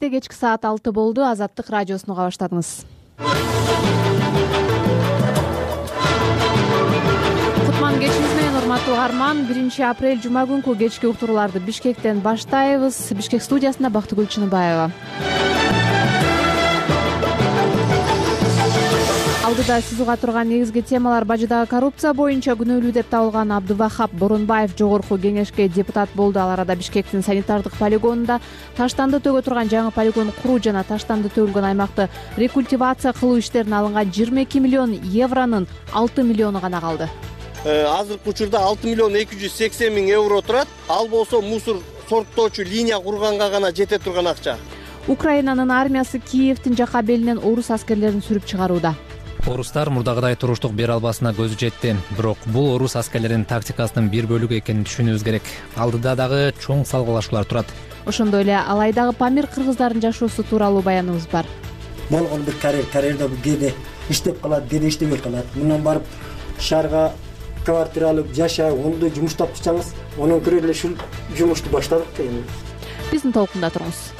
Бишкекте кечки саат 6 болду. Азаттык радиосуну уга баштадыңыз. Кутман кечиңиз менен урматтуу угарман. 1-апрель жума күнкү кечки уктурууларды Бишкектен баштайбыз. Бишкек студиясында Бактыгүл Чыныбаева. Алдыда сиз уга турган негизги темалар: бажыдагы коррупция боюнча күнөөлүү деп табылган Абдувахап Боронбаев жогорку кеңешке депутат болду. Ал арада Бишкектин санитардык полигонунда таштанды төгө турган жаңы полигон куруу жана таштанды төгүлгөн аймакты рекультивация кылуу иштерине алынган 22 миллион евронун 6 миллиону гана калды. Азыркы учурда 6 миллион 280 миң евро турат. Ал болсо мусор сорттоочу линия курганга гана жете турган акча. Украинанын армиясы Киевдин жака белинен орус аскерлерин сүрүп чыгарууда. Орустар мурдагыдай туруштук бере албасына көзү жетти. Бирок бул орус аскерлеринин тактикасынын бир бөлүгү экенин түшүнүүбүз керек. Алдыда дагы чоң салгылашуулар турат. Ошондой эле Алайдагы Памир кыргыздардын жашоосу тууралуу баяныбыз бар. Болгон бир карьерда кээде иштеп калат, кээде иштебей калат. Мындан барып шаарга квартира алып жашап, ондой жумуш тапчаңыз, анан көрө эле ушул жумушту баштадык дейм. Биздин толкунда туруңуз.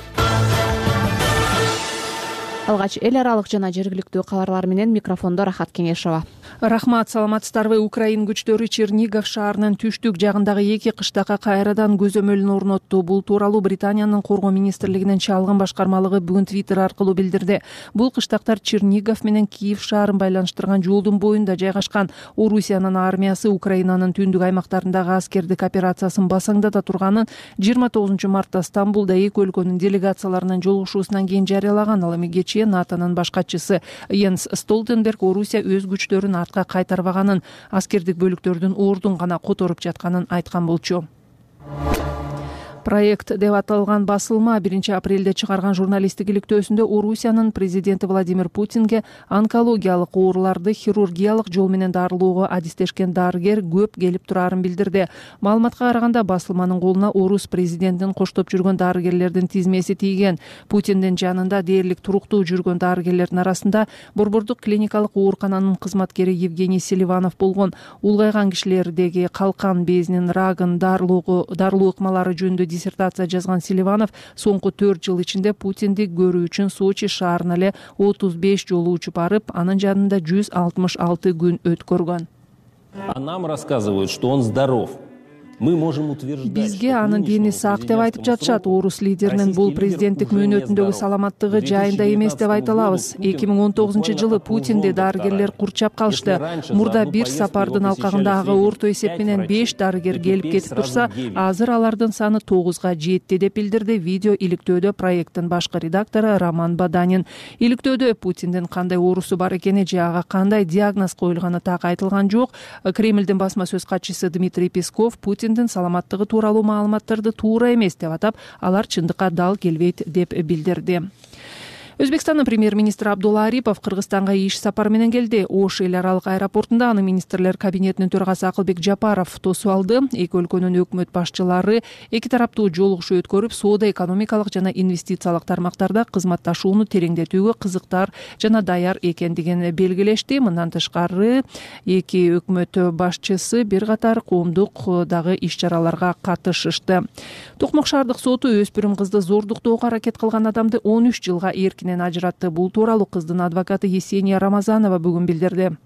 Алгач эл аралык жана жергиликтүү кабарлар менен микрофондо Рахат Кеңешова. Рахмат, саламатсыздарбы? Украин күчтөрү Чернигов шаарынын түштүк жагындагы 2 кыштакка кайрадан көзөмөлүн орнотту. Бул тууралуу Британиянын коргоо министрлигинин чалгын башкармалыгы бүгүн Twitter аркылуу билдирди. Бул кыштактар Чернигов менен Киев шаарын байланыштырган жолдун боюнда жайгашкан. Орусиянын армиясы Украинанын түндүк аймактарындагы аскердик операциясын басаңдата турганын 29 мартта Стамбулда эки өлкөнүн делегацияларынын жолугушуусунан кийин жарыялаган. Ал эми кечээ НАТОнун башкачысы Йенс Столтенберг Орусия өз күчтөрүн артка кайтарбаганын, аскердик бөлүктөрдүн ордун гана которуп жатканын айткан болчу. Проект деп аталган басылма 1-апрелде чыгарган журналисттик иликтөөсүндө Орусиянын президенти Владимир Путинге онкологиялык ооруларды хирургиялык жол менен дарылоого адистешкен дарыгер көп келип турарын билдирди. Маалыматка караганда басылманын колуна орус президентин коштоп жүргөн дарыгерлердин тизмеси тийген. Путиндин жанында дээрлик туруктуу жүргөн дарыгерлердин арасында Борбордук клиникалык оорукананын кызматкери Евгений Селиванов болгон. Улгайган кишилердеги калкан безинин рагын дарылоо ыкмалары жөнүндө диссертация жазган Селиванов соңку 4 жыл ичинде Путинди көрүү үчүн Сочи шаарына эле 35 жолу учуп барып, анын жанында 166 күн өткөргөн. А нам рассказывают, что он здоров. Мы можем утверждать. Бизге анын дени сак деп айтып жатышат. Орус лидеринин бул президенттик мөөнөтүндөгү саламаттыгы жайында эмес деп айта алабыз. 2019-жылы Путинди дарыгерлер курчап калышты. Мурда бир сапардын алкагындагы орто эсеп менен 5 дарыгер келип кетип турса, азыр алардын саны 9га жетти деп билдирди видео иликтөөдө проекттин башкы редактору Роман Баданин. Иликтөөдө Путиндин кандай оорусу бар экени же ага кандай диагноз коюлганы так айтылган жок. Кремлдин басма сөз катчысы Дмитрий Песков Путиндин саламаттыгы тууралуу маалыматтарды туура эмес деп атап, алар чындыкка дал келбейт деп билдирди. Өзбекстандын премьер-министри Абдулла Арипов Кыргызстанга иш сапары менен келди. Ош эл аралык аэропортунда анын министрлер кабинетинин төрагасы Акылбек Жапаров тосуп алды. Эки өлкөнүн өкмөт башчылары эки тараптуу жолугушуу өткөрүп, соода, экономикалык жана инвестициялык тармактарда кызматташууну тереңдетүүгө кызыктар жана даяр экендигин белгилешти. Мындан тышкары эки өкмөт башчысы бир катар коомдук дагы иш-чараларга катышышты. Токмок шаардык соту өспүрүм кызды зордуктоого аракет кылган адамды 13 жылга эркинен ажыратты. Бул тууралуу кыздын адвокаты Есения Рамазанова бүгүн билдирди.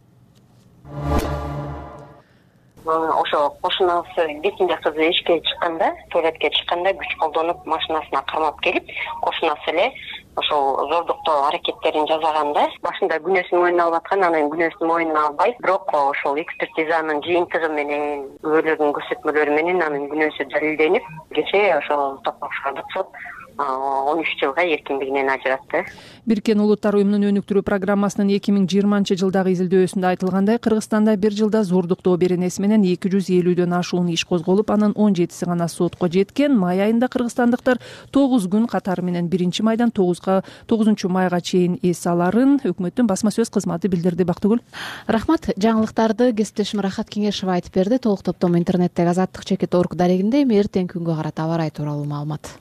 Ошо кошунасы бесинчи кызы ишке чыкканда, туалетке чыкканда күч колдонуп машинасына кармап келип, кошунасы эле ошол зордуктоо аракеттерин жасаганда, башында күнөөсүн мойнуна алып аткан, анан күнөөсүн мойнуна албай, бирок ошол экспертизанын жыйынтыгы менен, күбөлөрдүн көрсөтмөлөрү менен анын күнөөсү далилденип, кечээ ошол Токмок шаардык сот 13 жылга эркиндигинен ажыратты. Бириккен Улуттар уюмунун өнүктүрүү программасынын 2020-жылдагы изилдөөсүндө айтылгандай, Кыргызстанда бир жылда зордуктоо беренеси менен 250дөн ашуун иш козголуп, анын 17си гана сотко жеткен. Май айында кыргызстандыктар 9 күн катары менен 1-майдан 9 майга чейин эс аларын өкмөттүн басма сөз кызматы билдирди. Бактыгүл. Рахмат. Жаңылыктарды кесиптешим Рахат Кеңешова айтып берди. Толук топтому интернеттеги azattik.org дарегинде. Эртең күнгө карата аба ырайы тууралуу маалымат.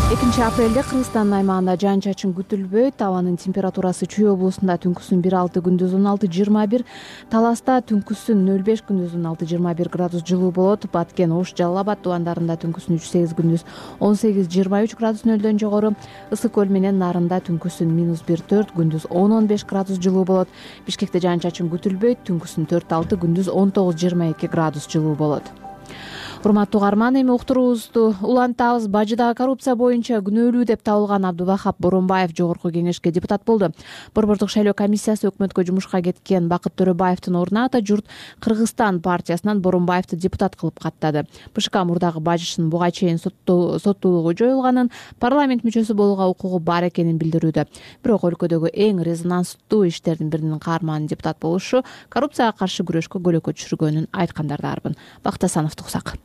Апрелде Кыргызстандын аймагында жаан-чачын күтүлбөйт. Абанын температурасы Чүй облусунда түнкүсүн 1,6, күндүз 16-21, Таласта түнкүсүн 0,5, күндүз 16-21 градус жылуу болот. Баткен, Ош, Жалал Абад тубандарында түнкүсүн 3,8, күндүз 18-23 градус нөлдөн жогору. Ысык көл менен Нарында түнкүсүн -1,4, күндүз 10-15 градус жылуу болот. Бишкекте жаан-чачын күтүлбөйт. Түнкүсүн 4,6, күндүз 19-22 градус жылуу болот. Урматтуу угарман, эми уктуруубузду улантабыз. Бажыдагы коррупция боюнча күнөөлүү деп табылган Абдувахап Боронбаев Жогорку Кеңешке депутат болду. Борбордук шайлоо комиссиясы өкмөткө жумушка кеткен Бакыт Төрөбаевдин ордуна Ата журт Кыргызстан партиясынан Боронбаевди депутат кылып каттады. БШК мурдагы бажышынын буга чейин соттуулугу жоюлганын, парламент мүчөсү болууга укугу бар экенин билдирүүдө. Бирок өлкөдөгү эң резонанстуу иштердин биринин каарманын депутат болушу коррупцияга каршы күрөшкө көлөкө түшүргөнүн айткандардарбын. Бакыт Асановду угсак.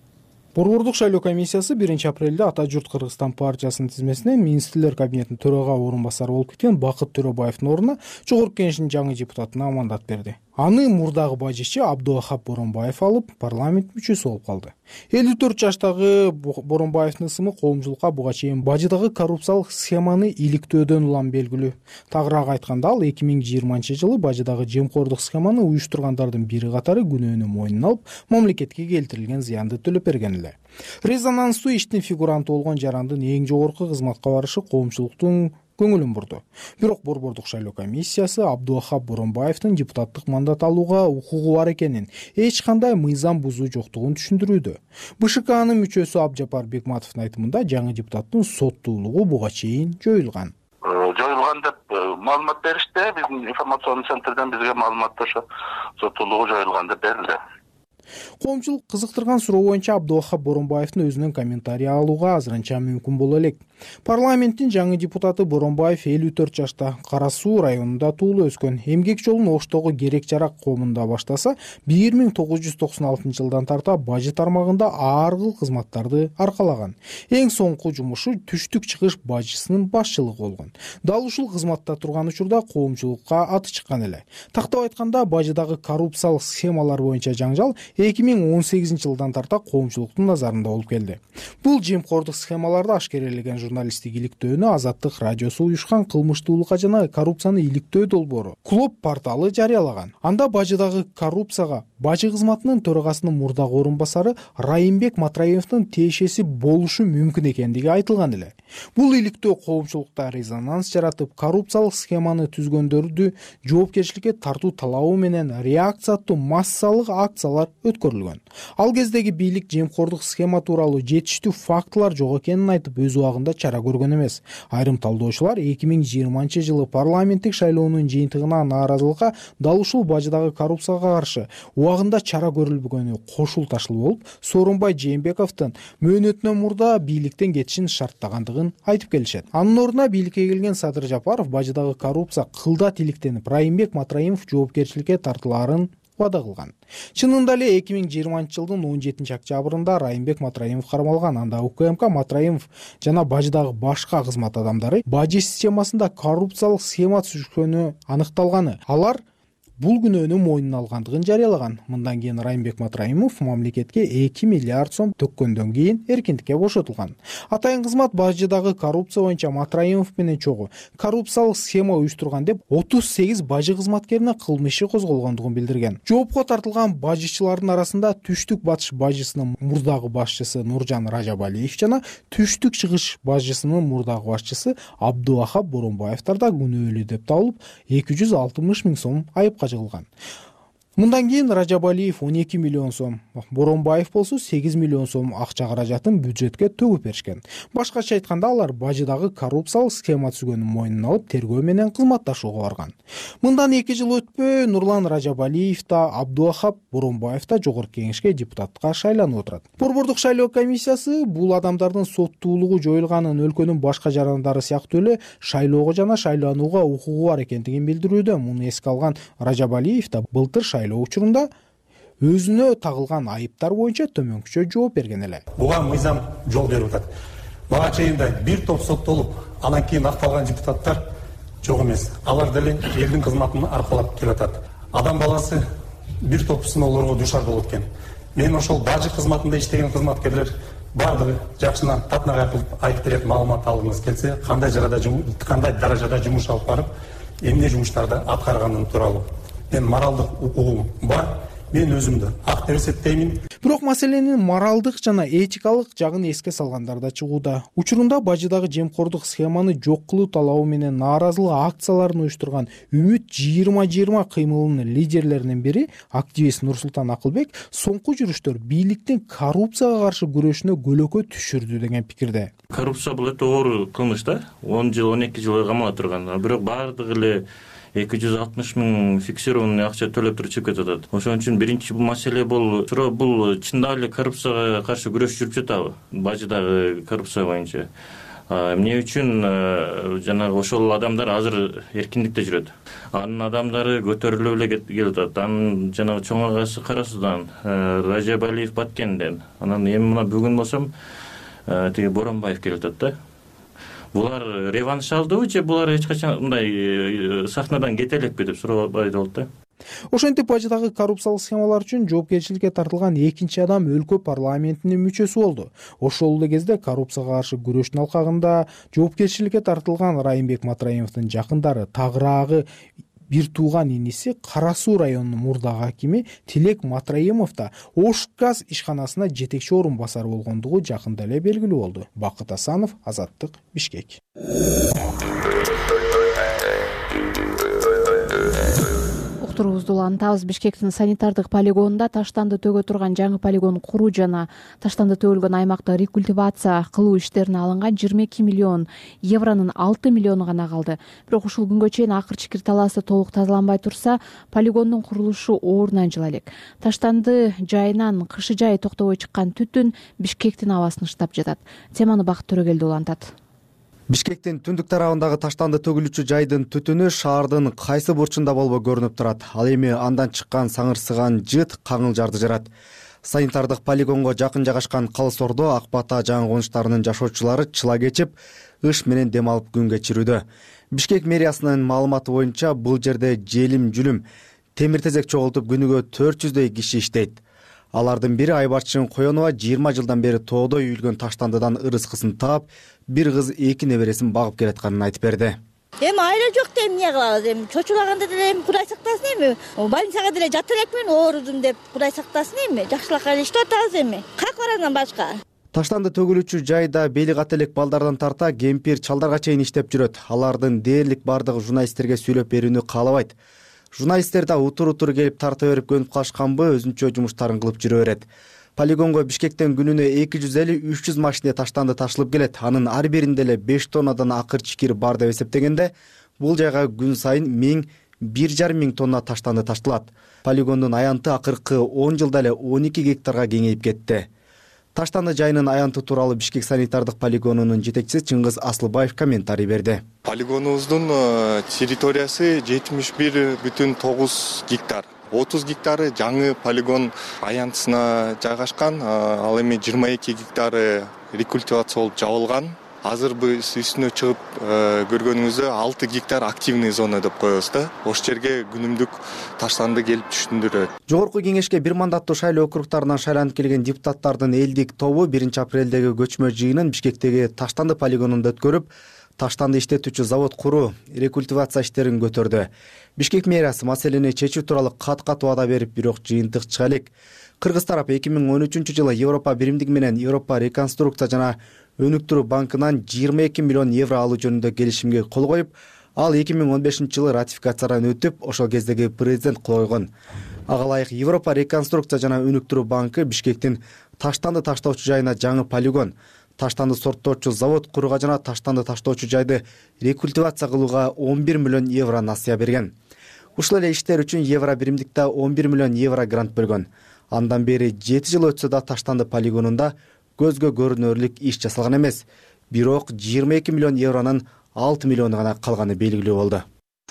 Борбордук шайлоо комиссиясы 1 апрелде Ата журт Кыргызстан партиясынын тизмесине министрлер кабинетинин төрага орун басары болуп кеткен Бакыт Төрөбаевдин ордуна Жогорку Кеңештин жаңы депутатына мандат берди. Аны мурдагы бажычы Абдувахап Боронбаев алып, парламент мүчөсү болуп калды. 54 жаштагы Боронбаевдин ысымы коомчулукка буга чейин бажыдагы коррупциялык схеманы иликтөөдөн улам белгилүү. Тагыраак айтканда, ал 2020-жылы бажыдагы жемкордук схеманы уюштургандардын бири катары күнөөнү мойнуна алып, мамлекетке келтирилген зыянды төлөп берген эле. Резонанстуу иштин фигуранты болгон жарандын эң жогорку кызматка барышы коомчулуктун көңүлүн бурду. Бирок Борбордук шайлоо комиссиясы Абдувахап Боронбаевдин депутаттык мандат алууга укугу бар экенин, эч кандай мыйзам бузуу жоктугун түшүндүрүүдө. БШКнын мүчөсү Абжапар Бекматовдун айтымында, жаңы депутаттын соттуулугу буга чейин жоюлган. Жоюлган деп маалымат беришти. Биздин информационный центрден бизге маалымат ошо соттуулугу жоюлган деп берилди. Коомчулук кызыктырган суроо боюнча Абдувахап Боронбаевдин өзүнөн комментарий алууга азырынча мүмкүн боло элек. Парламенттин жаңы депутаты Боронбаев 54 жашта, Кара Суу районунда туулуп өскөн. Эмгек жолун Оштогу Керек Жарак коомунда баштаса, 1996 жылдан тарта бажы тармагында ар кыл кызматтарды аркалаган. Эң соңку жумушу түштүк чыгыш бажысынын башчылыгы болгон. Дал ушул кызматта турган учурда коомчулукка аты чыккан эле. Тактап айтканда, бажыдагы коррупциялык схемалар боюнча жаңжал 2018 жылдан тарта коомчулуктун назарында болуп келди. Бул жемкордук схемаларды ашкерелеген журналисттик иликтөөнү Азаттык радиосу уюшкан кылмыштуулукка жана коррупцияны иликтөө долбоору Клуб порталы жарыялаган. Анда бажыдагы коррупцияга бажы кызматынын төрагасынын мурдагы орун басары Райымбек Матраевдин тиешеси болушу мүмкүн экендиги айтылган эле. Бул иликтөө коомчулукта резонанс жаратып, коррупциялык схеманы түзгөндөрдү жоопкерчиликке тартуу талабы менен реакция аттуу массалык акциялар өткөрүлгөн. Ал кездеги бийлик жемкордук схема тууралуу жетиштүү фактылар жок экенин айтып, өз убагында чара көргөн эмес. Айрым талдоочулар 2020 жылы парламенттик шайлоонун жыйынтыгына нааразылыкка дал ушул бажыдагы коррупцияга каршы убагында чара көрүлбөгөнү кошулташыл болуп, Сооронбай Жээнбековдун мөөнөтүнөн мурда бийликтен кетишин шарттагандыгын айтып келишет. Анын ордуна бийликке келген Садыр Жапаров бажыдагы коррупция кылдат иликтенип, Райымбек Матраимов жоопкерчиликке тартылаарын вада кылган. Чынында эле 2020 жылдын 17 октябрында Райымбек Матраимов кармалган. Анда УКМК Матраимов жана бажыдагы башка кызмат адамдары бажы системасында коррупциялык схема түзүшкөнү аныкталганы. Алар бул күнөөнү мойнуна алгандыгын жарыялаган. Мындан кийин Райымбек Матраимов мамлекетке 2 миллиард сом төккөндөн кийин эркиндикке бошотулган. Атайын кызмат бажыдагы коррупция боюнча Матраимов менен чогуу коррупциялык схема уюштурган деп 38 бажы кызматкерине кылмыш иши козголгондугун билдирген. Жоопко тартылган бажычылардын арасында Түштүк батыш бажысынын мурдагы башчысы Нуржан Ражабалиев жана Түштүк чыгыш бажысынын мурдагы башчысы Абдувахап Боронбаевдар да күнөөлүү деп табылып, 260 миң сом айыпка жыгылган. Мындан кийин Ражабалиев 12 миллион сом, Боронбаев болсо 8 миллион сом акча каражатын бюджетке төгүп беришкен. Башкача айтканда, алар бажыдагы коррупциялык схема түзгөнүн мойнуна алып, тергөө менен кызматташууга барган. Мындан 2 жыл өтпөй Нурлан Ражабалиев да, Абдувахап Боронбаев да Жогорку Кеңешке депутатка шайланып отурат. Борбордук шайлоо комиссиясы бул адамдардын соттуулугу жоюлганын, өлкөнүн башка жарандары сыяктуу эле шайлоого жана шайланууга укугу бар экендигин билдирүүдө. Муну эске алган Ражабалиев да былтыр шайлоо учурунда өзүнө тагылган айыптар боюнча төмөнкүчө жооп берген эле. Буга мыйзам жол берип атат. Бага чейин да бир топ соттолуп, анан кийин акталган депутаттар жок эмес. Алар деле элдин кызматын аркалап келатат. Адам баласы бир топ сыноолорго дуушар болот экен. Мен ошол бажы кызматында иштеген кызматкерлер баардыгы жакшынан татнагай кылып айтып берет маалымат алгыңыз келсе, кандай даражада жумуш алып барып, эмне жумуштарды аткарганын тууралуу мен моралдык укугум бар. Мен өзүмдү ак деп эсептеймин. Бирок маселенин моралдык жана этикалык жагын эске салгандар да чыгууда. Учурунда бажыдагы жемкордук схеманы жок кылуу талабы менен нааразылык акцияларын уюштурган Үмүт 2020 кыймылынын лидерлеринин бири активист Нурсултан Акылбек соңку жүрүштөр бийликтин коррупцияга каршы күрөшүнө көлөкө түшүрдү деген пикирде. Коррупция бул өтө оор кылмыш да. 10 жыл, 12 жыл камалып турган. Бирок баардыгы эле 260 миң фиксированный акча төлөп туруп чыгып кетип атат. Ошон үчүн биринчи бул маселе бул чындап эле коррупцияга каршы күрөш жүрүп жатабы? Бажыдагы коррупция боюнча. Эмне үчүн жанагы ошол адамдар азыр эркиндикте жүрөт. Анын адамдары көтөрүлүп эле келип атат. Анын жанагы чоң агасы Кара Судан, Ражабалиев Баткенден. Анан эми мына бүгүн болсом тиги Боронбаев келип атат да. Булар реванш алдыбы же булар эч качан мындай сахнадан кете элекпи деп сурабай болот да. Ошентип бажыдагы коррупциялык схемалар үчүн жоопкерчиликке тартылган экинчи адам өлкө парламентинин мүчөсү болду. Ошол эле кезде коррупцияга каршы күрөштүн алкагында жоопкерчиликке тартылган Райымбек Матраимовдун жакындары тагыраагы бир тууган иниси Кара Суу районунун мурдагы акими Тилек Матраимов да Ош газ ишканасына жетекчи орун басары болгондугу жакында эле белгилүү болду. Бакыт Асанов, Азаттык, Бишкек. Уктуруубузду улантабыз. Бишкектин санитардык полигонунда таштанды төгө турган жаңы полигон куруу жана таштанды төгүлгөн аймакты рекультивация кылуу иштерине алынган 22 миллион евронун 6 миллиону гана калды. Бирок ушул күнгө чейин акыр чикир талаасы толук тазаланбай турса, полигондун курулушу оорунан жыла элек. Таштанды жайынан кышы жайы токтобой чыккан түтүн Бишкектин абасын ыштап жатат. Теманы Бакыт Төрөгелди улантат. Бишкектин түндүк тарабындагы таштанды төгүлүүчү жайдын түтүнү шаардын кайсы бурчунда болбой көрүнүп турат. Ал эми андан чыккан саңырсыган жыт каңыл жарды жарат. Санитардык полигонго жакын жайгашкан Калыс Ордо, Ак Бата жаңы конуштарынын жашоочулары чыла кечип, ыш менен дем алып күн кечирүүдө. Бишкек мэриясынын маалыматы боюнча бул жерде желим-жүлүм, темир тезек чогултуп күнүгө 400дөй киши иштейт. Алардын бири Айбарчын Коенова 20 жылдан бери тоодой үйүлгөн таштандыдан ырыскысын таап, бир кыз 2 небересин багып келатканын айтып берди. Эми айла жок деп эмне кылабыз? Эми чочулаганда деле эми Кудай сактасын эми. Больницага деле жата элекмин, оорудум деп Кудай сактасын эми. Жакшылыкка эле иштеп атабыз эми. Как бар андан башка? Таштанды төгүлүүчү жайда бели кат элек балдардан тарта кемпир чалдарга чейин иштеп жүрөт. Алардын дээрлик бардыгы журналисттерге сүйлөп берүүнү каалабайт. Журналисттер да утур келип тарта берип көнүп калышканбы, өзүнчө жумуштарын кылып жүрө берет. Полигонго Бишкектен күнүнө 250-300 машина таштанды ташылып келет. Анын ар биринде эле 5 тоннадан акыр чикир бар деп эсептегенде, бул жайга күн сайын 1000-1,5 миң тонна таштанды ташталат. Полигондун аянты акыркы 10 жылда эле 12 гектарга кеңейип кетти. Таштанды жайынын аянты тууралуу Бишкек санитардык полигонунун жетекчиси Чыңгыз Асылбаев комментарий берди. Полигонубуздун территориясы 71,9 гектар. 30 гектары жаңы полигон аянтысына жайгашкан, ал эми 22 гектары рекультивация болуп жабылган. Азыр биз үстүнө чыгып көргөнүңүздөй 6 гектар активный зона деп коебуз да. Ош жерге күнүмдүк таштанды келип түшүндүрөт. Жогорку кеңешке бир мандаттуу шайлоо округтарынан шайланып келген депутаттардын элдик тобу 1-апрелдеги көчмө жыйынын Бишкектеги таштанды полигонунда өткөрүп, таштанды иштетүүчү завод куруу, рекультивация иштерин көтөрдү. Бишкек мэриясы маселени чечүү тууралуу кат ваада берип, бирок жыйынтык чыга элек. Кыргыз тарап 2013-жылы Европа биримдиги менен Европа реконструкция жана өнүктүрүү банкынан 22 миллион евро алуу жөнүндө келишимге кол коюп, ал 2015-жылы ратификациядан өтүп, ошол кездеги президент кол койгон. Ага ылайык Европа реконструкция жана өнүктүрүү банкы Бишкектин таштанды таштоочу жайына жаңы полигон, таштанды сорттоочу завод курууга жана таштанды таштоочу жайды рекультивация кылууга 11 миллион евро насыя берген. Ушул эле иштер үчүн евро биримдикте 11 миллион евро грант бөлгөн. Андан бери 7 жыл өтсө да таштанды полигонунда көзгө көрүнөрлүк иш жасалган эмес. Бирок 22 миллион евронун 6 миллиону гана калганы белгилүү болду.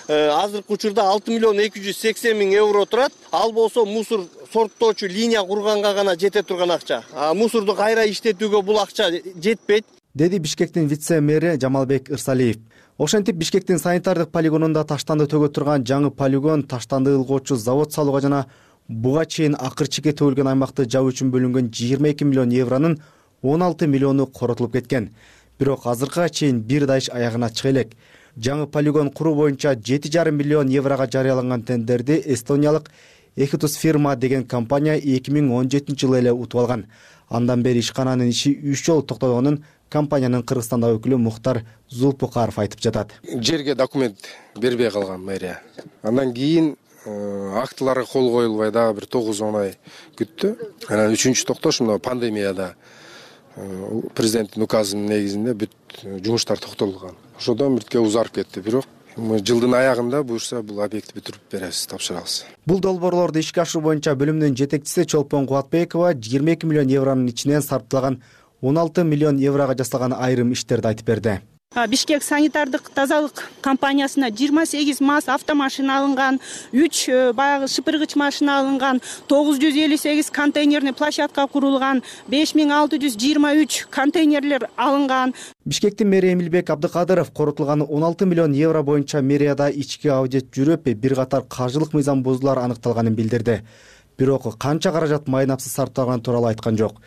Азыркы учурда 6 миллион 280 миң евро турат. Ал болсо мусор сорттоочу линия курганга гана жете турган акча. Мусорду кайра иштетүүгө бул акча жетпейт, деди Бишкектин вице-мэри Жамалбек Ырсалиев. Ошентип Бишкектин санитардык полигонунда таштанды төгө турган жаңы полигон, таштанды ылгоочу завод салууга жана буга чейин акыр чекке төгүлгөн аймакты жабуу үчүн бөлүнгөн 22 миллион евронун 16 миллиону коротулуп кеткен. Бирок азыркыга чейин бир да иш аягына чыга элек. Жаңы полигон куруу боюнча 7,5 миллион еврого жарыяланган тендерди эстониялык Экитус фирма деген компания 2017 жылы эле утуп алган. Андан бери ишкананын иши 3 жолу токтогонун компаниянын Кыргызстандагы өкүлү Мухтар Зулпукаров айтып жатат. Жерге документ бербей калган мэрия. Андан кийин актыларга кол коюлбай дагы бир 9-10 ай күттү. Анан 3-чү токтош мына пандемияда президенттин указынын негизинде бүт жумуштар токтотулган. Ошодон биртке узарып кетти. Бирок жылдын аягында буюрса бул объектти бүтүрүп беребиз, тапшырабыз. Бул долбоорлорду ишке ашыруу боюнча бөлүмдүн жетекчиси Чолпон Кубатбекова 22 миллион евронун ичинен сарпталган 16 миллион еврого жасалган айрым иштерди айтып берди. Бишкек санитардык тазалык компаниясына 28 МАЗ автомашина алынган, 3 баягы шыпыргыч машина алынган, 958 контейнерный площадка курулган, 5623 контейнерлер алынган. Бишкектин мэри Эмилбек Абдыкадыров коротулган 16 миллион евро боюнча мэрияда ички аудит жүрүп, бир катар каржылык мыйзам бузуулар аныкталганын билдирди. Бирок канча каражат майнапсыз сарпталганы тууралуу айткан жок.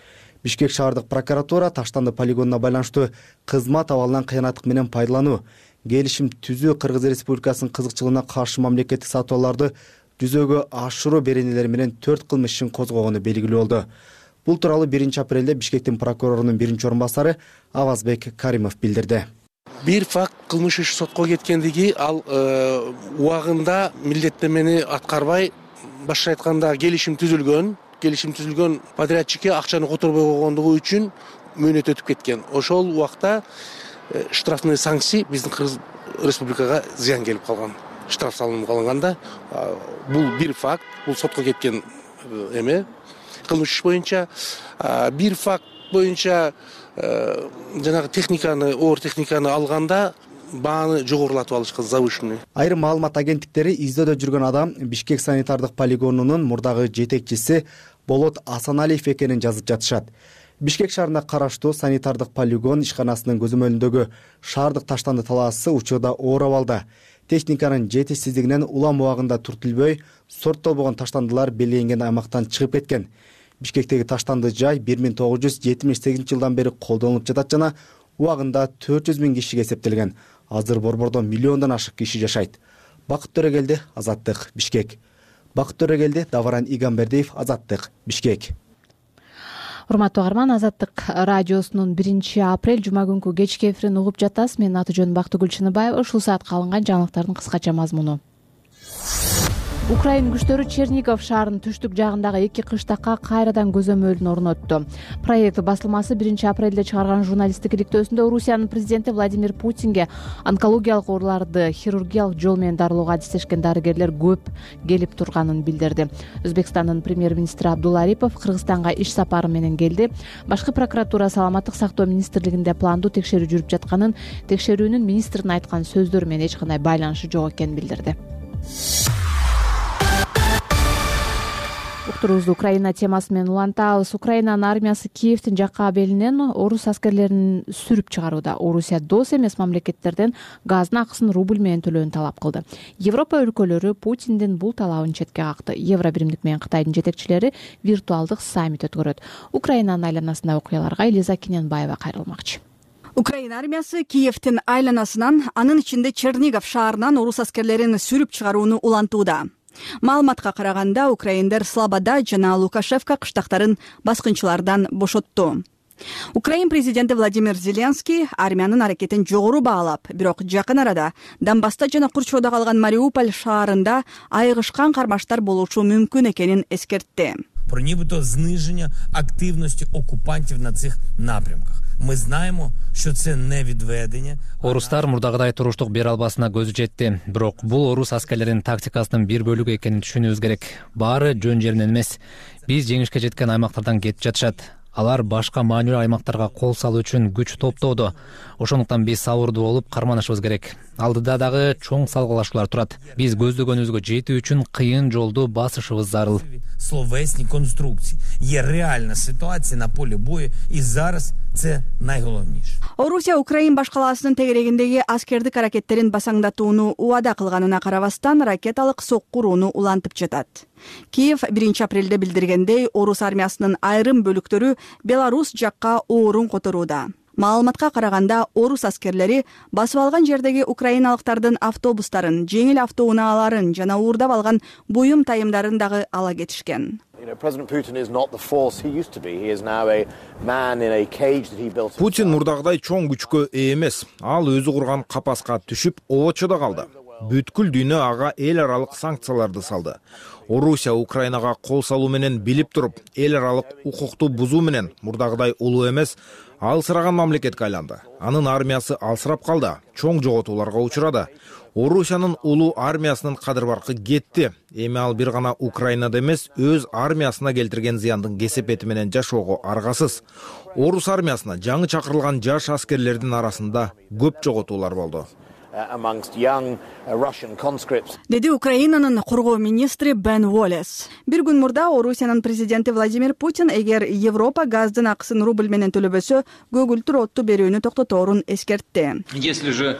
Бишкек шаардык прокуратура Таштанды полигонуна байланыштуу кызмат абалынан кыянаттык менен пайдалануу, келишим түзүү Кыргыз Республикасынын кызыкчылыгына каршы мамлекеттик сатууларды жүзөгө ашыруу беренелери менен 4 кылмыш ишин козгогону белгилүү болду. Бул тууралуу 1 апрелде Бишкектин прокурорунун биринчи орун басары Авазбек Каримов билдирди. Бир факт кылмыш иши сотко кеткендиги, ал убагында милдеттенмени аткарбай, башка айтканда келишим түзүлгөн подрядчикке акчаны которбой койгондугу үчүн мөөнөт өтүп кеткен. Ошол убакта штрафный санкция биздин Кыргыз Республикага зыян келип калган. Штраф салынып калганда бул бир факт, бул сотко кеткен эме кылмыш иш боюнча. Бир факт боюнча жанагы техниканы, оор техниканы алганда бааны жогорулатып алышкан, завышенный. Айрым маалымат агенттиктери издөөдө жүргөн адам Бишкек санитардык полигонунун мурдагы жетекчиси Болот Асаналиев экенин жазып жатышат. Бишкек шаарына караштуу санитардык полигон ишканасынын көзөмөлүндөгү шаардык Таштанды талаасы учурда оор абалда. Техниканын жетишсиздигинен улам убагында түртүлбөй, сорттолбогон таштандылар белгиленген аймактан чыгып кеткен. Бишкектеги таштанды жай 1978 жылдан бери колдонулуп жатат жана убагында 400 000 кишиге эсептелген. Азыр борбордо миллиондон ашык киши жашайт. Бакыт Төрөгелди, Азаттык, Бишкек. Бакыт Төрөгелди, Даваран Игамбердиев, Азаттык, Бишкек. Урматтуу угарман, Азаттык радиосунун 1 апрель жума күнкү кечки эфирин угуп жатасыз. Менин аты жөнүм Бактыгүл Чыныбаева. Ушул саатка алынган жаңылыктардын кыскача мазмуну. Украин күчтөрү Чернигов шаарынын түштүк жагындагы 2 кыштакка кайрадан көзөмөлүн орнотту. Проект басылмасы 1 апрелде чыгарган журналисттик иликтөөсүндө Орусиянын президенти Владимир Путинге онкологиялык ооруларды хирургиялык жол менен дарылоого адистешкен дарыгерлер көп келип турганын билдирди. Өзбекстандын премьер-министри Абдулла Арипов Кыргызстанга иш сапары менен келди. Башкы прокуратура саламаттык сактоо министрлигинде пландуу текшерүү жүрүп жатканын, текшерүүнүн министрдин айткан сөздөрү менен эч кандай байланышы жок экенин билдирди. Уктуруубузду Украина темасы менен улантабыз. Украинанын армиясы Киевдин жакка абелинен орус аскерлерин сүрүп чыгарууда. Орусия дос эмес мамлекеттерден газдын акысын рубль менен төлөөнү талап кылды. Европа өлкөлөрү Путиндин бул талабын четке какты. Евро биримдик менен Кытайдын жетекчилери виртуалдык саммит өткөрөт. Украинанын айланасындагы окуяларга Элиза Кененбаева кайрылмакчы. Украина армиясы Киевдин айланасынан, анын ичинде Чернигов шаарынан орус аскерлерин сүрүп чыгарууну улантууда. Маалыматка караганда, украиндер Слобода жана Лукашевка кыштактарын баскынчылардан бошотту. Украин президенти Владимир Зеленский армиянын аракетин жогору баалап, бирок жакын арада Донбасста жана Курчоодо калган Мариуполь шаарында айыгышкан кармаштар болушу мүмкүн экенин эскертти. Про нібито зниження активності окупантів на цих напрямках. Ми знаємо, що це не відведення. Орустар мурдагыдай туруштук бере албасына көзү жетти. Бирок бул орус аскерлеринин тактикасынын бир бөлүгү экенин түшүнүүбүз керек. Баары жөн жеринен эмес. Биз жеңишке жеткен аймактардан кетип жатышат. Алар башка маанилүү аймактарга кол салуу үчүн күч топтоодо. Ошондуктан биз сабырдуу болуп карманышыбыз керек. Алдыда дагы чоң салгылашуулар турат. Биз көздөгөнүбүзгө жетүү үчүн кыйын жолду басышыбыз зарыл. Словесні конструкції. Є реальна ситуація на полі бою, і зараз Це найголовніше. Орусия Украин башкаласынын тегерегиндеги аскердик аракеттерин басаңдатууну убада кылганына карабастан ракеталык сокку урууну улантып жатат. Киев 1-апрелде билдиргендей, орус армиясынын айрым бөлүктөрү Беларус жакка оорун которууда. Маалыматка караганда, орус аскерлери басып алган жердеги украиналыктардын автобустарын, жеңил автоунааларын жана уурдап алган буюм тайымдарын дагы ала кетишкен. Путин мурдагыдай чоң күчкө ээ эмес. Ал өзү курган капаска түшүп, обочодо калды. Бүткүл дүйнө ага эл аралык санкцияларды салды. Орусия Украинага кол салуу менен билип туруп, эл аралык укукту бузуу менен мурдагыдай улуу эмес, алсыраган мамлекетке айланды. Анын армиясы алсырап калды, чоң жоготууларга учурады. Орусиянын улуу армиясынын кадыр баркы кетти. Эми ал бир гана Украинада эмес, өз армиясына келтирген зыяндын кесепети менен жашоого аргасыз. Орус армиясына жаңы чакырылган жаш аскерлердин арасында көп жоготуулар болду. Деди Украинанын коргоо министри Бен Уоллес. Бир күн мурда Орусиянын президенти Владимир Путин эгер Европа газдын акысын рубль менен төлөбөсө, көгүлтүр отту берүүнү токтоторун эскертти. Если же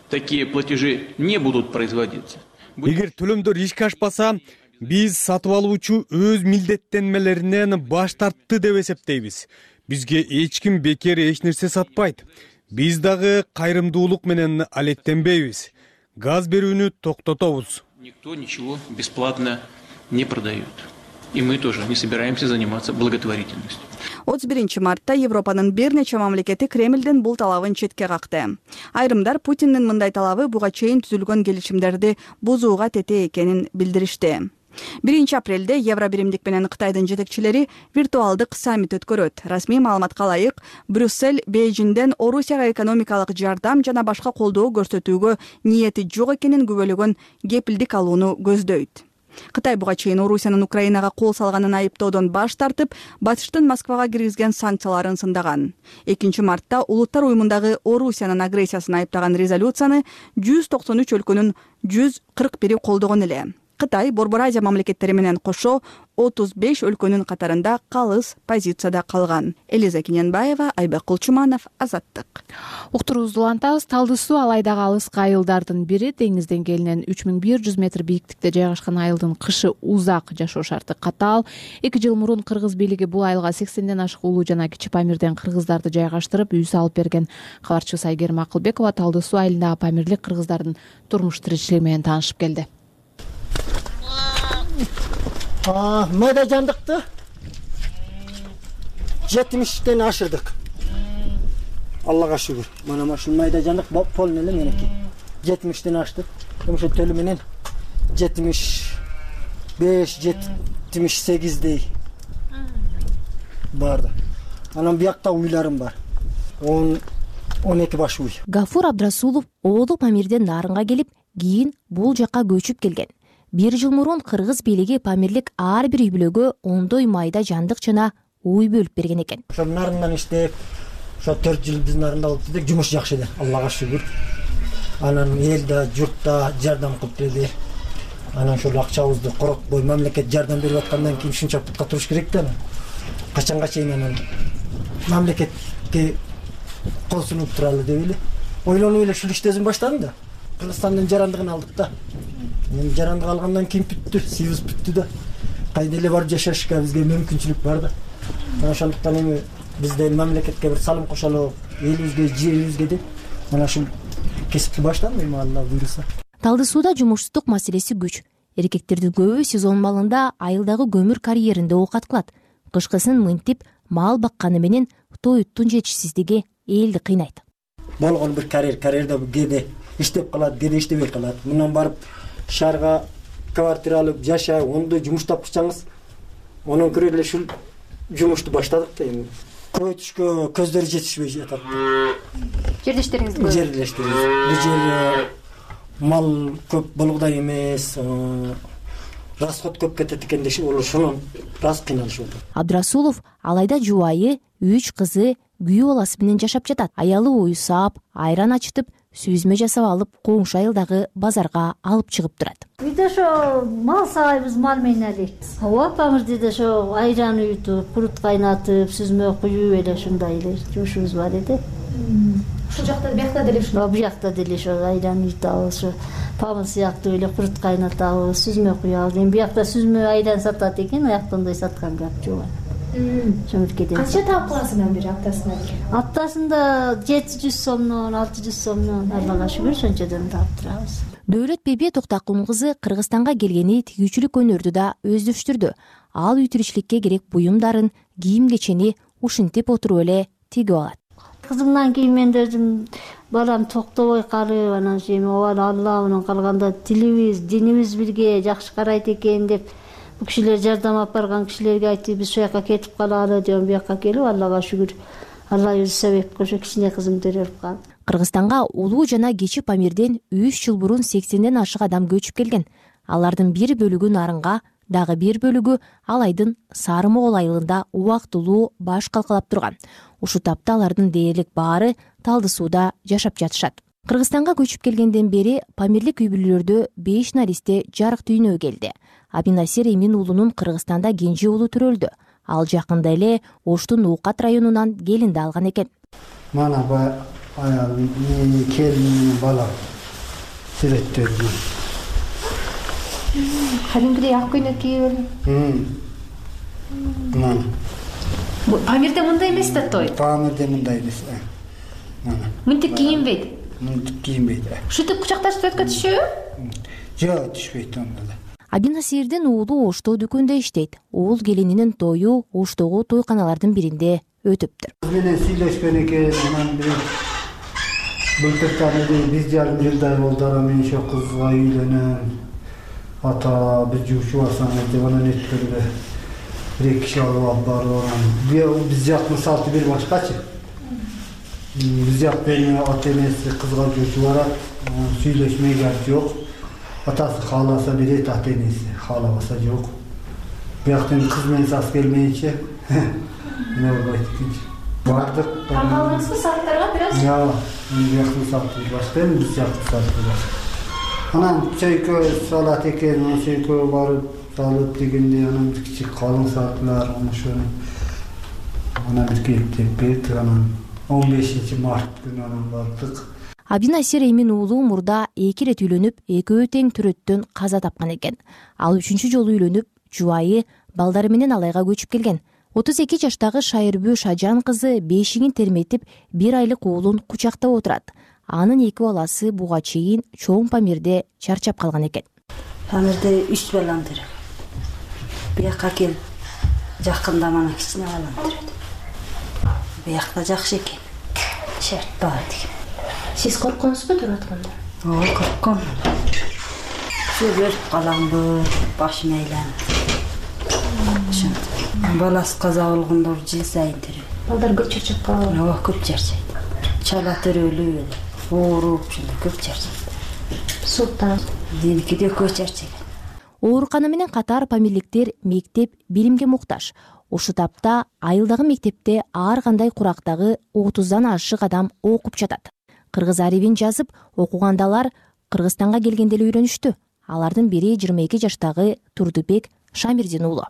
такие платежи не будут производиться. Эгер төлөмдөр ишке ашпаса, биз сатып алуучу өз милдеттенмелеринен баш тартты деп эсептейбиз. Бизге эч ким бекер эч нерсе сатпайт. Биз дагы кайрымдуулук менен алектенбейбиз. Газ берүүнү токтотобуз. Никто ничего бесплатно не продает. И мы тоже не собираемся заниматься благотворительностью. 31 мартта Европанын бир нече мамлекети Кремлдин бул талабын четке какты. Айрымдар Путиндин мындай талабы буга чейин түзүлгөн келишимдерди бузууга тете экенин билдиришти. 1-апрелде Евробиримдик менен Кытайдын жетекчилери виртуалдык саммит өткөрөт. Расмий маалыматка ылайык, Брюссель Бейжиңден Орусияга экономикалык жардам жана башка колдоо көрсөтүүгө ниети жок экенин күбөлөгөн кепилдик алууну көздөйт. Кытай буга чейин Орусиянын Украинага кол салганын айыптоодон баш тартып, батыштын Москвага киргизген санкцияларын сындаган. 2 мартта Улуттар уюмундагы Орусиянын агрессиясын айыптаган резолюцияны 193 өлкөнүн 141 колдогон эле. Кытай Борбор Азия мамлекеттери менен кошо 35 өлкөнүн катарында калыс позицияда калган. Элиза Кененбаева, Айбек Кулчуманов, Азаттык. Уктурубузду улантабыз. Талды суу Алайдагы алыскы айылдардын бири. Деңиз деңгээлинен 3100 метр бийиктикте жайгашкан айылдын кышы узак, жашоо шарты катаал. 2 жыл мурун кыргыз бийлиги бул айылга 80ден ашык улуу жана кичи Памирден кыргыздарды жайгаштырып, үй салып берген. Кабарчыбыз Айгерим Акылбекова Талды суу айылындагы памирлик кыргыздардын турмуш тиричилиги менен таанышып келди. Майда жандыкты 70ден ашырдык. Аллага шүгүр. Мана машул майда жандык полный эле менеки. 70ден ашты. Ошо төлү менен 75-78дей барды. Анан биякта уйларым бар. 12 баш уй. Гафур Абдрасулов оолу Памирден Нарынга келип, кийин бул жакка көчүп келген. 1 жыл мурун кыргыз бийлиги Памирлик ар бир үй бүлөгө ондой майда жандык жана уй бөлүп берген экен. Ошо нарындан иштеп, ошо 4 жыл биздин нарында болуп дедик, жумуш жакшы эле, Аллага шүгүр. Анан элде, журтта жардам кылып берди. Анан ошол акчабызды коротпой мамлекет жардам берип аткандан кийин ушунча путка туруш керек да. Качанга чейин анан мамлекетке кол сунуп туралы деп эле ойлонуп эле ушул иштесин баштадым да. Кыргызстандын жарандыгын алдык да. Мен жарандык алгандан кийин бүттү, сибиз бүттү да. Кайда эле барып жашашка бизге мүмкүнчүлүк бар да. Ошондуктан эми бизде мамлекетке бир салым кошолу, элибизге, жерибизге деп мына ушул кесипти баштадым эми Алла буйруса. Талды сууда жумушсуздук маселеси күч. Эркектердин көбү сезон малында айылдагы көмүр карьеринде оокат кылат. Кышкысын мынтип мал бакканы менен тоюттун жетишсиздиги элди кыйнайт. Болгон бир карьерде кээде иштеп калат, кээде иштебей калат. Мындан барып шаарга квартира алып жашай, ондой жумуш тапкычаңыз, онун көрө эле ушул жумушту баштадык да эми. Көбөйтүшкө көздөрү жетишпей жатат. Жердештериңизди көрүп. Жердештериңиз. Бул жер мал көп болгудай эмес, расход көп кетет экен деши, ошонун раз кыйналышып атат. Абдрасулов Алайда жубайы, 3 кызы, күйөө баласы менен жашап жатат. Аялы ою саап, айран ачытып, сүзмө жасап алып, коңшу айылдагы базарга алып чыгып турат. Үйдө ошо мал саайбыз, мал менен элек. Апамыз деди ошо айран уютуп, курут кайнатып, сүзмө куюп эле ушундай эле жумушубуз бар эди. Ушул жакта, биякта деле ушундай. Биякта деле ошо айран уютабыз, ошо памыз сыяктуу эле курут кайнатабыз, сүзмө куябыз. Эми биякта сүзмө айран сатат экен, аяктондой саткан кап жок. Канча таап каласың бир аптасына? Аптасында 700 сомдон, 600 сомдон, Аллага шүгүр, ошончодон таап турабыз. Дөөлөт Беби Токтакул кызы Кыргызстанга келгени тигүүчүлүк өнөрдү да өздөштүрдү. Ал үй тиричиликке керек буюмдарын, кийим-кечени ушинтип отуруп эле тигип алат. Кызымдан кийин мен да өзүм балам токтобой калып, анан эми Алла менен калганда тилибиз, динибиз бирге жакшы карайт экен деп бул кишилер жардам алып барган кишилерге айтып, биз ошол жака кетип калалы деп бияка келип, Аллага шүгүр, Алла өзү себеп кылып кичине кызымды өрүп калды. Кыргызстанга улуу жана кичи Памирден 3 жыл мурун 80ден ашык адам көчүп келген. Алардын бир бөлүгү Нарынга, дагы бир бөлүгү Алайдын Сары Могол айылында убактылуу баш калкалап турган. Ушул тапта алардын дээрлик баары Талды сууда жашап жатышат. Кыргызстанга көчүп келгенден бери Памирлик үй бүлөлөрдө 5 наристе жарык дүйнөгө келди. Абинасир Эмин уулунун Кыргызстанда кенже уулу төрөлдү. Ал жакында эле Оштун Уукат районунан келинди алган экен. Мана аялым, келиним, балам сүрөттөрү. Кадимкидей ак көйнөк кийип эле. Мана. Памирде мындай эмес да той. Памирде мындай эмес. Мана. Мынтип кийинбейт. Мынтип кийинбейт. Ушинтип кучакташып өткө түшөбү? Жок, түшпөйт анда. Абинасирдин уулу Ошто дүкөндө иштейт. Уул келининин тою Оштогу тойканалардын биринде өтүптүр. Кыз менен сүйлөшкөн экен, анан былтыртан эле 1,5 жылдай болду, мен ошо кызга үйлөнөм. Ата бир жумушу барсаңыз деп анан өткөрдү. Бир киши алып барып, биз жактын салты бир башкачы. Биз жактын ата энеси кызга жумушу барат, сүйлөшмөй гап жок. Атасы кааласа берет, ата энеси каалабаса жок. Бияктан кыз менен сас келмейинче эмне болбойт экенчи. Бардык. Калдыңызбы сааттарга бир аз? Жок, бияктын салты башка, биз жактын салты башка. Анан чөйкө салат экен, чөйкө барып салып дегенде анан кичи калың сааттар, ошону анан бир келип деп берди, анан 15 март күнү анан бардык. Абинасир Эмин уулу мурда 2 рет үйлөнүп, экөө тең төрөттөн каза тапкан экен. Ал 3-чү жолу үйлөнүп, жубайы, балдары менен Алайга көчүп келген. 32 жаштагы Шайырбүү Шажан кызы бешигин терметип, 1 айлык уулун кучактап отурат. Анын 2 баласы буга чейин чоң Памирде чарчап калган экен. Памирде 3 балам тур. Бияка кел. Жакында мана кичине балам тур. Биякта жакшы экен. Шерт бар деген. Сиз коркконсузбу туруп атканда? Ооба, коркком. Сүрөп каламбы, башым айланып. Баласы каза болгондо жыл сайын туруп. Балдар көп чарчап калабы? Ооба, көп чарчайт. Чала төрөлүп, ооруп, ушундай көп чарчайт. Султан. Деникиде көп чарчайт. Оорукана менен катар памирликтер мектеп билимге муктаж. Ушул тапта айылдагы мектепте ар кандай курактагы 30дан ашык адам окуп жатат. Кыргыз арибин жазып, окугандалар Кыргызстанга келгенде эле үйрөнүштү. Алардын бири 22 жаштагы Турдубек Шамирдин уулу.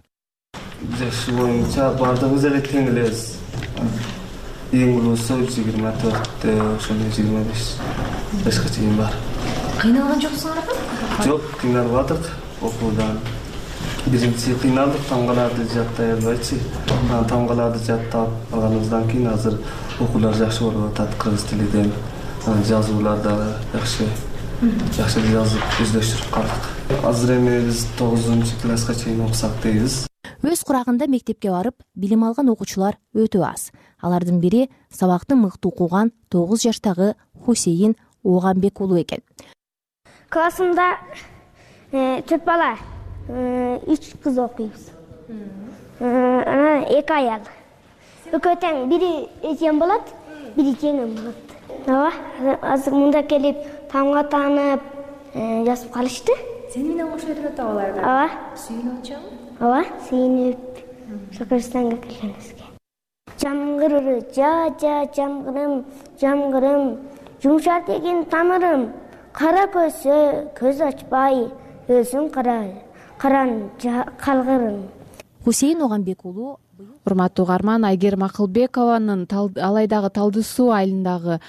Жашы боюнча бардыгыбыз эле тең элебиз. Эң улуусу 24, ошондой 25 жашка чейин бар. Кыйналган жоксуңарбы? Жок, кыйналбадык окуудан. Биринчи кыйналдык, тамгаларды жаттай албайчы. Анан тамгаларды жаттап алганыбыздан кийин азыр окуулар жакшы болуп атат, кыргыз тилиден. Жазуулар дагы жакшы жазып өздөштүрүп калдык. Азыр эми биз 9-класска чейин окусак дейбиз. Өз курагында мектепке барып, билим алган окуучулар өтө аз. Алардын бири сабакты мыкты окуган 9 жаштагы Хусейин Оганбек уулу экен. Классымда 4 бала, 3 кыз окуйбуз. Анан 2 аял. Экөө тең, бири эжем болот, бири жеңем болот. Ооба, азыр мында келип тамга таанып, жазып калышты. Сени менен кошо турат аларга? Ооба. Сүйүнүп атышабы? Ооба, сүйүнүп Кыргызстанга келгенибизге. Жамгыр жа жамгырым жумшар деген тамырым, кара көзсө көз ачпай өзүң каран калгырым. Хусейин Огамбек уулу. Урматтуу угарман, Айгерим Акылбекованын Алайдагы Талды суу айылындагы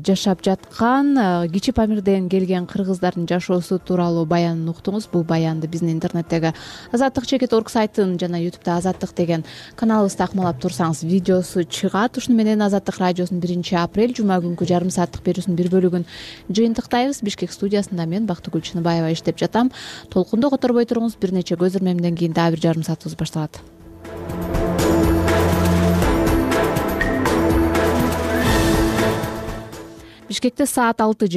жашап жаткан Кичи Памирден келген кыргыздардын жашоосу тууралуу баянын уктуңуз. Бул баянды биздин интернеттеги Азаттык.org сайтын жана YouTube'да Азаттык деген каналыбызды акмалап турсаңыз видеосу чыгат. Ушуну менен Азаттык радиосунун 1-апрель жума күнкү жарым сааттык берүүсүнүн бир бөлүгүн жыйынтыктайбыз. Бишкек студиясында мен Бактыгүл Чыныбаева иштеп жатам. Толкунду которбой туруңуз. Бир нече көз ирмемден кийин дагы бир жарым саатыбыз башталат. Бишкекте саат 6:30